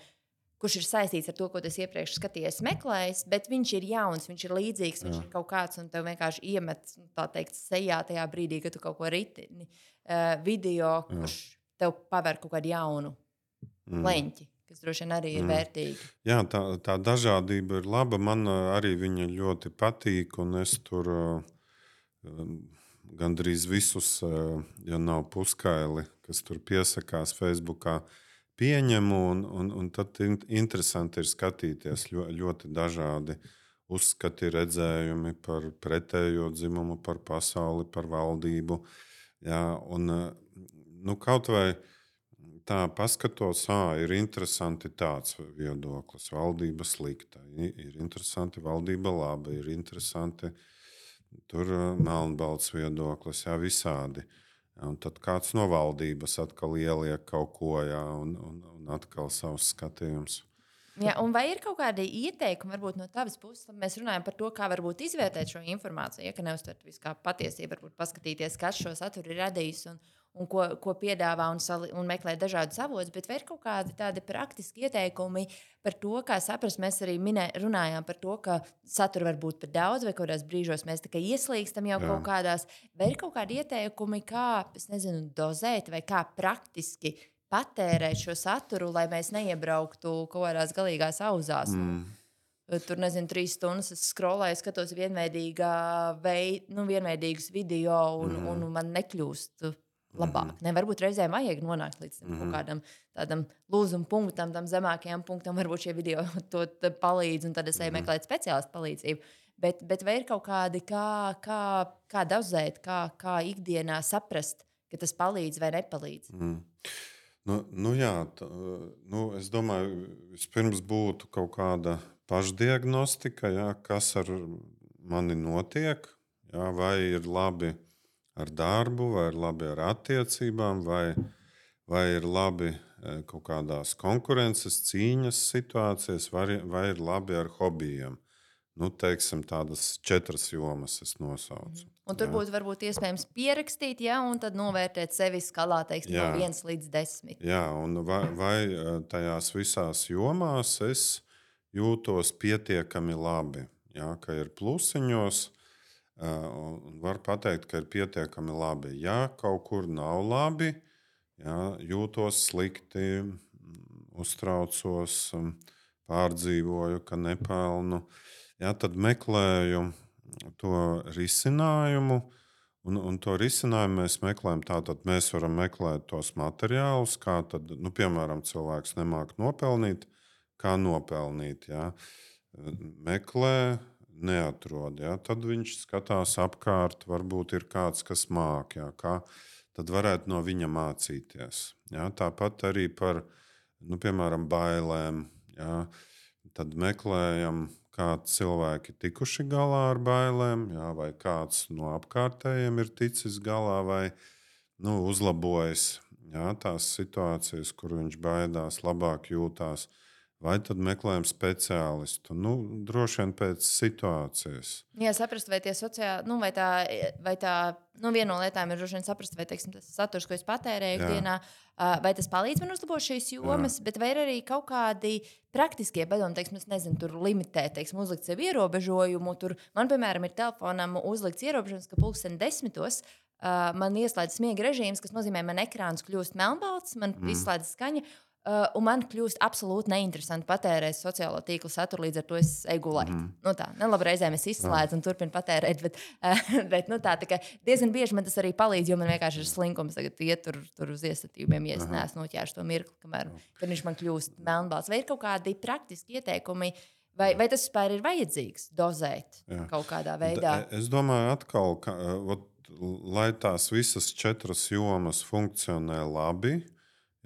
kurš ir saistīts ar to, ko tu iepriekš skatījies, meklējis, bet viņš ir jauns, viņš ir līdzīgs, viņš ir kaut kāds, un tev vienkārši iemet, tā teikt, sejā tajā brīdī, kad tu kaut ko ritini video, kurš tev paver kaut kādu jaunu leņķi, kas droši vien arī ir vērtīgi. Jā, tā dažādība ir laba. Man arī viņa ļoti patīk, un es tur gandrīz visus, ja nav puskaili, kas tur piesakās Facebookā, pieņemu, un tad interesanti ir skatīties ļoti dažādi uzskati, redzējumi par pretējo dzimumu, par pasauli, par valdību. Jā, un, kaut vai tā paskatos, ir interesanti tāds viedoklis, valdība slikta, ir interesanti valdība laba, ir interesanti tur melnbalts viedoklis, jā, visādi. Un tad kāds no valdības atkal ieliek kaut ko, un atkal savus skatījumus. Jā, un vai ir kaut kādi ieteikumi, varbūt no tavas puses, tad mēs runājam par to, kā varbūt izvērtēt šo informāciju, ka neuztvert visu kā patiesību, varbūt paskatīties, kas šo saturu ir radījis un ko piedāvā un meklēt dažādus avotus, bet vai ir kaut kādi tādi praktiski ieteikumi par to, kā saprast, mēs arī runājām par to, ka satura var būt par daudz, vai kādās brīžos mēs tikai ieslīgstam jau kaut kādās, vai ir kaut kādi ieteikumi, kā, dozēt vai kā praktiski patērēt šo saturu, lai mēs neiebrauktu kaut kādās galīgās auzās. Tur, 3 stundas es scrollēju, skatos vienveidīgus video un man nekļūst labāk. Varbūt reizēm vajag nonākt līdz kaut kādam tādam lūzuma punktam, tam zemākajam punktam. Varbūt šie video to palīdz, un tad es eju meklēt speciālistu palīdzību. Bet vai ir kaut kādi, kā dozēt, kā ikdienā saprast, ka tas palīdz vai nepalīdz? Jā, es domāju, vispirms būtu kaut kāda pašdiagnostika, kas ar mani notiek, vai ir labi ar darbu, vai ir labi ar attiecībām, vai ir labi kaut kādās konkurences, cīņas situācijās, vai ir labi ar hobijiem. Teiksim, tādas 4 jomas es nosaucu. Un tur būtu varbūt iespējams pierakstīt, un tad novērtēt sevi skalā, teiksim, no 1 līdz 10. Jā, un vai tajās visās jomās es jūtos pietiekami labi, ka ir plusiņos, un var pateikt, ka ir pietiekami labi. Ja kaut kur nav labi, jūtos slikti, uztraucos, pārdzīvoju, ka nepelnu, tad meklēju to risinājumu, un to risinājumu mēs meklējam. Tātad mēs varam meklēt tos materiālus, kā tad, piemēram, cilvēks nemāk nopelnīt, kā nopelnīt. Meklē, neatrod. Tad viņš skatās apkārt, varbūt ir kāds, kas māk, kā tad varētu no viņa mācīties. Tāpat arī par, piemēram, bailēm. Tad meklējam, kā cilvēki tikuši galā ar bailēm, vai kāds no apkārtējiem ir ticis galā vai uzlabojis tās situācijas, kur viņš baidās, labāk jūtās. Vai tad meklējam speciālistu? Droši vien pēc situācijas. Jā, saprast, vai tie sociāli, vai tā viena no lietām ir droši vien saprast, vai tas saturs, ko es patērēju ikdienā, vai tas palīdz man uzlabot šīs jomas, bet vai ir arī kaut kādi praktiskie padomi, tur limitēt, uzlikt sev ierobežojumu. Man, piemēram, ir telefonam uzlikts ierobežojums, ka 10:10 man ieslēdz smiega režīms, kas nozīmē, man ekrāns kļūst melnbalts, man izslēdz skaņa. Un man kļūst absolūti neinteresanti patērēt sociālo tīklu saturu, līdz ar to es eju gulēt. Labi, reizēm es izslēdzu un turpinu patērēt, bet tā diezgan bieži man tas arī palīdz, jo man vienkārši ir slinkums tagad iet tur uz iestatījumiem, ja es neesmu noķēris to mirkli, kamēr viņš man kļūst melnbalts. Vai ir kaut kādi praktiski ieteikumi, Vai tas vispār ir vajadzīgs dozēt Jā. kaut kādā veidā? Es domāju, atkal, ka, lai tās visas 4 jomas funkcionē labi,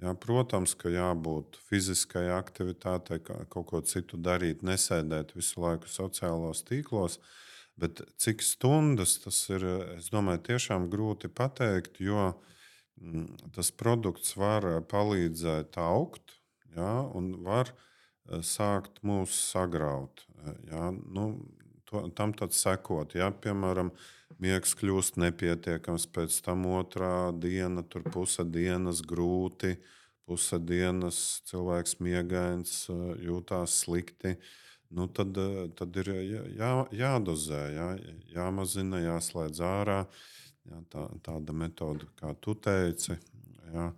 jā, protams, ka jābūt fiziskai aktivitātei, kaut ko citu darīt, nesēdēt visu laiku sociālos tīklos. Bet cik stundas tas ir, es domāju, tiešām grūti pateikt, jo tas produkts var palīdzēt augt, jā, un var sākt mūs sagraut. Jā, tam tad sekot, ja, piemēram, miegs kļūst nepietiekams, pēc tam otrā diena, tur puse dienas grūti, puse dienas cilvēks miegains, jūtās slikti. Tad ir jādozē, jāmazina, jāslēdz ārā. Jā, tāda metode, kā tu teici. Jā.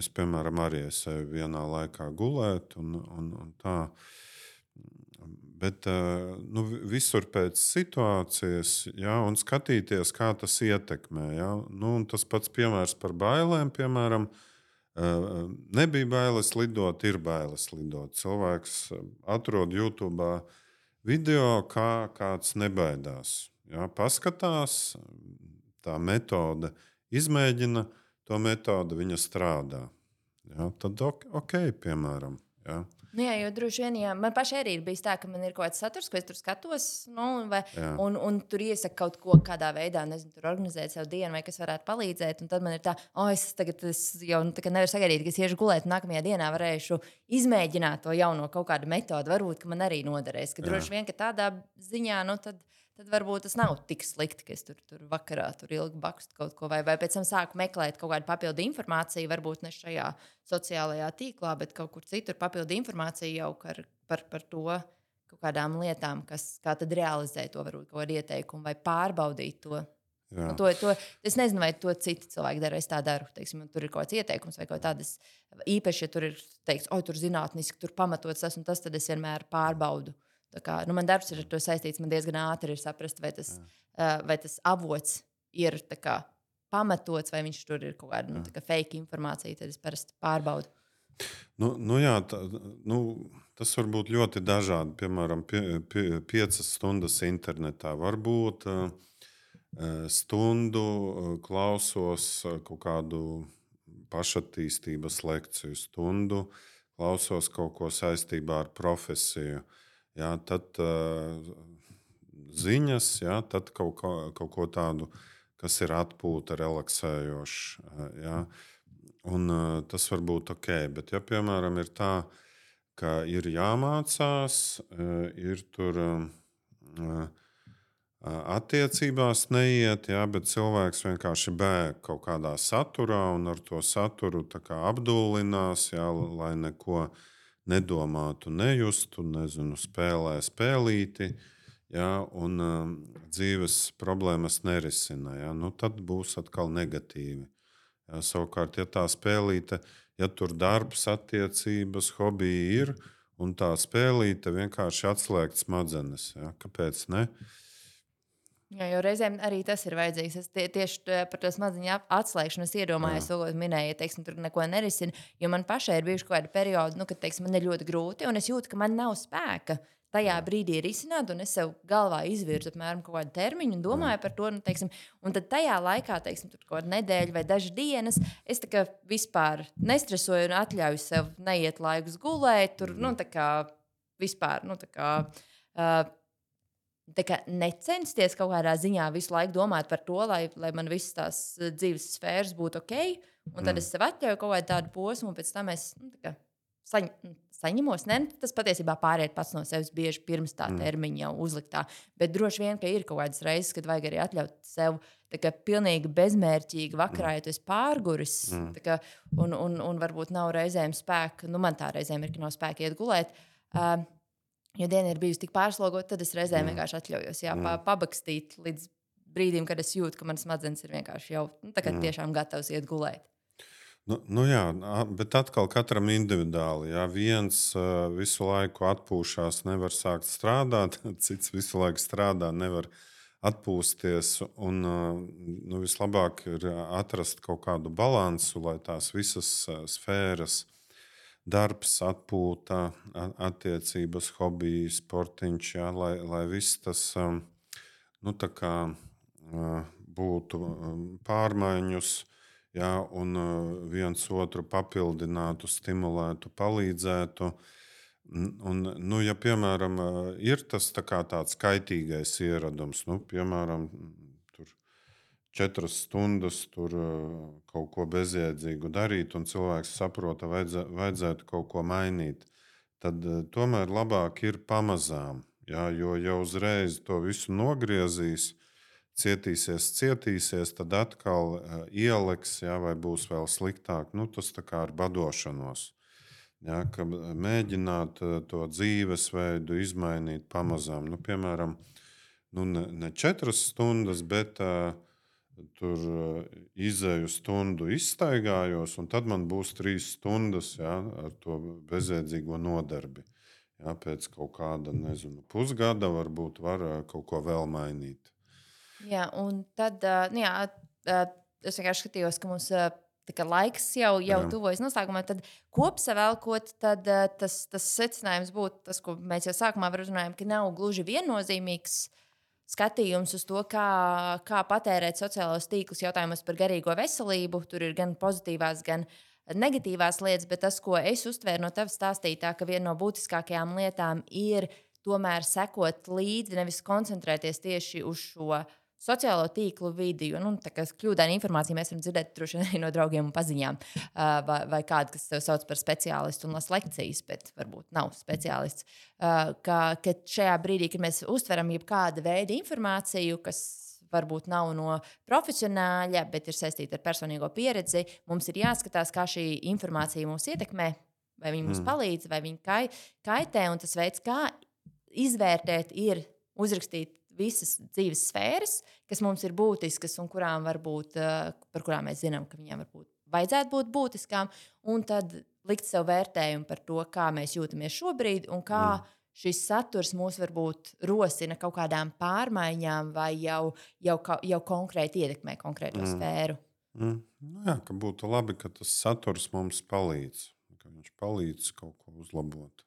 Es, piemēram, arī eju vienā laikā gulēt, un tā. Bet visur pēc situācijas, jā, un skatīties, kā tas ietekmē. Jā. Tas pats piemērs par bailēm, piemēram, nebija bailes lidot, ir bailes lidot. Cilvēks atrod YouTube video, kā kāds nebaidās. Jā, paskatās, tā metode izmēģina, to metode viņa strādā. Jā, tad ok, piemēram. Jā. Jo droši vien, ja man pašai arī ir bijis tā, ka man ir kaut kāds saturs, ko es tur skatos, un tur iesaka kaut ko kādā veidā, nezinu, tur organizēt savu dienu, vai kas varētu palīdzēt. Un tad man ir tā, es jau nevaru sagaidīt, ka es iešu gulēt, un nākamajā dienā varēšu izmēģināt to jauno kaut kādu metodi. Varbūt, ka man arī noderēs. Ka droši vien, ka tādā ziņā, tad varbūt tas nav tik slikti, ka es tur vakarā tur ilgi bakstu kaut ko, vai pēc tam sāku meklēt kaut kādu papildu informāciju, varbūt ne šajā sociālajā tīklā, bet kaut kur citur papildu informāciju jau par to kaut kādām lietām, kā tad realizēt to, varbūt kaut kādu ieteikumu vai pārbaudīt to. To es nezinu, vai to citi cilvēki dara, es tā daru. Teiksim, tur ir kaut kāds ieteikums vai kaut tādas īpaši, ja tur ir teikts, tur zinātniski, tur pamatots tas un tas, tad es vienmēr pārbaudu. Man darbs ir ar to saistīts. Man diezgan ātri ir saprast, vai tas avots ir pamatots, vai viņš tur ir kaut kāda fake informācija. Tad es parasti pārbaudu. Tas var būt ļoti dažādi. Piemēram, 5 stundas internetā. Varbūt stundu klausos kaut kādu pašattīstības lekciju, stundu klausos kaut ko saistībā ar profesiju. Jā, tad ziņas, jā, tad kaut ko tādu, kas ir atpūta, relaksējošs. Jā. Un tas var būt ok. Bet, ja piemēram ir tā, ka ir jāmācās, ir tur attiecībās neiet, jā, bet cilvēks vienkārši bēg kaut kādā saturā un ar to saturu apdullinās, jā, lai neko nedomātu, nejustu, nezinu, spēlē spēlīti, jā, un dzīves problēmas nerisina. Jā, tad būs atkal negatīvi. Jā, savukārt, ja tā spēlīte, ja tur darbs, attiecības, hobiji ir, un tā spēlīte vienkārši atslēgt smadzenes. Jā, kāpēc ne? Jā, jo reizēm arī tas ir vajadzīgs. Es tieši par to smadzeņu atslēgšanu iedomājos, to, ko minēju, teiksim, tur neko nerisina. Jo man pašai ir bijuši kaut kādi periodi, kad teiksim, man ir ļoti grūti, un es jūtu, ka man nav spēka tajā brīdī risināt, un es sev galvā izvirzu apmēram kaut kādu termiņu un domāju par to. Teiksim, un tad tajā laikā, teiksim, tur kaut kāda nedēļa vai dažas dienas, es vispār nestresoju un atļauju sev neiet laikus gulēt. Tur, vispār, necensties kaut kādā ziņā visu laiku domāt par to, lai man visas tās dzīves sfēras būtu ok. Un tad es sev atļauju kaut kādu tādu posmu, un pēc tam es saņemos. Tas patiesībā pāriet pats no sevis bieži pirms tā termiņa jau uzliktā. Bet droši vien, ka ir kaut kādas reizes, kad vajag arī atļaut sev pilnīgi bezmērķīgi vakarā, ja tu esi pārguris. Un varbūt nav reizēm spēka, man tā reizēm ir, ka nav spēka iet gulēt. Ja diena ir bijusi tik pārslogota, tad es reizēm vienkārši atļaujos pabakstīt līdz brīdim, kad es jūtu, ka manas smadzenes ir vienkārši jau tiešām gatavs iet gulēt. Jā, bet atkal katram individuāli. Jā, viens visu laiku atpūšās, nevar sākt strādāt, cits visu laiku strādā, nevar atpūsties. Un, vislabāk ir atrast kaut kādu balansu, lai tās visas sfēras darbs, atpūta, attiecības, hobiji, sportiņš, jā, lai viss tas tā kā būtu pārmaiņus, jā, un viens otru papildinātu, stimulētu, palīdzētu. Ja, piemēram, ir tas tāds kaitīgais ieradums, piemēram, tur 4 stundas tur kaut ko bezjēdzīgu darīt, un cilvēks saprot, ka vajadzētu kaut ko mainīt, tad tomēr labāk ir pamazām. Jā, jo jau uzreiz to visu nogriezīs, cietīsies, tad atkal ieliks, jā, vai būs vēl sliktāk. Tas tā kā ar badošanos. Jā, ka mēģināt to dzīvesveidu izmainīt pamazām. Piemēram, ne 4 stundas, bet tur izēju stundu izstaigājos, un tad man būs 3 stundas, jā, ar to bezjēdzīgo nodarbi. Jā, pēc kaut kāda, pusgada varbūt var kaut ko vēl mainīt. Jā, un tad es vienkārši skatījos, ka mums laiks jau tuvojas noslēgumam. Tad kopsavilkot, tad tas secinājums būtu tas, ko mēs jau sākumā runājām, ka nav gluži viennozīmīgs skatījums uz to, kā patērēt sociālos tīklus jautājumos par garīgo veselību. Tur ir gan pozitīvās, gan negatīvās lietas, bet tas, ko es uztvēru no tavas stāstītā, ka viena no būtiskākajām lietām ir tomēr sekot līdzi, nevis koncentrēties tieši uz šo sociālo tīklu vidi. Jo, tā kā kļūdaina informācija mēs varam dzirdēt droši vien no draugiem un paziņām, vai kādu, kas tev sauc par speciālistu un las lekcijas, bet varbūt nav speciālists. Ka šajā brīdī, kad mēs uztveram jebkāda veida informāciju, kas varbūt nav no profesionāļa, bet ir saistīta ar personīgo pieredzi, mums ir jāskatās, kā šī informācija mūs ietekmē, vai viņa mums palīdz, vai viņa kaitē. Un tas veids, kā izvērtēt, ir uzrakstīt visas dzīves sfēras, kas mums ir būtiskas un par kurām mēs zinām, ka viņām vajadzētu būt būtiskām, un tad likt sev vērtējumu par to, kā mēs jūtamies šobrīd un kā šis saturs mūs varbūt rosina kaut kādām pārmaiņām vai jau konkrēti ietekmē konkrēto sfēru. Jā, ka būtu labi, ka tas saturs mums palīdz, ka viņš palīdz kaut ko uzlabot.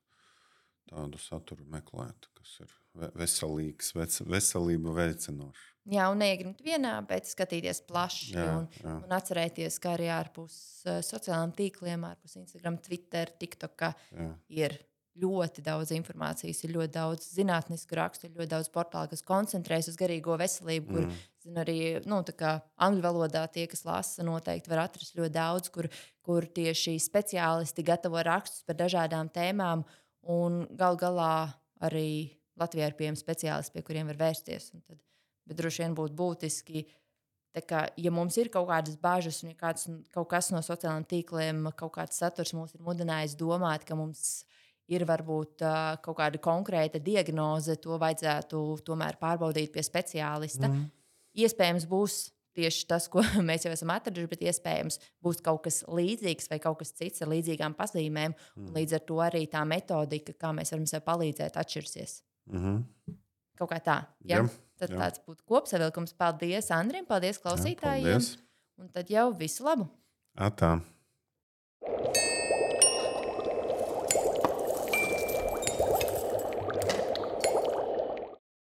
Tādu saturu meklēt, kas ir veselīgs, veselību veicinošs. Jā, un neiegrimt vienā, bet skatīties plaši un atcerēties, ka arī ārpus sociālajiem tīkliem, ārpus Instagram, Twitter, TikTok ir ļoti daudz informācijas, ir ļoti daudz zinātnisku rakstu, ir ļoti daudz portālu, kas koncentrējas uz garīgo veselību, kur arī angļu valodā tie, kas lasa, noteikti var atrast ļoti daudz, kur tieši speciālisti gatavo rakstus par dažādām tēmām. Un gal galā arī Latvijā ir pieejami speciālisti, pie kuriem var vērsties. Bet droši vien būtu būtiski, ja mums ir kaut kādas bažas un kaut kas no sociālajiem tīkliem, kaut kāds saturs mūs ir mudinājis domāt, ka mums ir varbūt kaut kāda konkrēta diagnoze, to vajadzētu tomēr pārbaudīt pie speciālista. Iespējams būs tieši tas, ko mēs jau esam atraduši, bet iespējams būs kaut kas līdzīgs vai kaut kas cits ar līdzīgām pazīmēm. Līdz ar to arī tā metodika, kā mēs varam sev palīdzēt, atšķirsies. Kaut kā tā. Ja? Tad tāds būtu kopsavilkums. Paldies Andrim, paldies klausītājiem. Paldies. Un tad jau visu labu. Atā.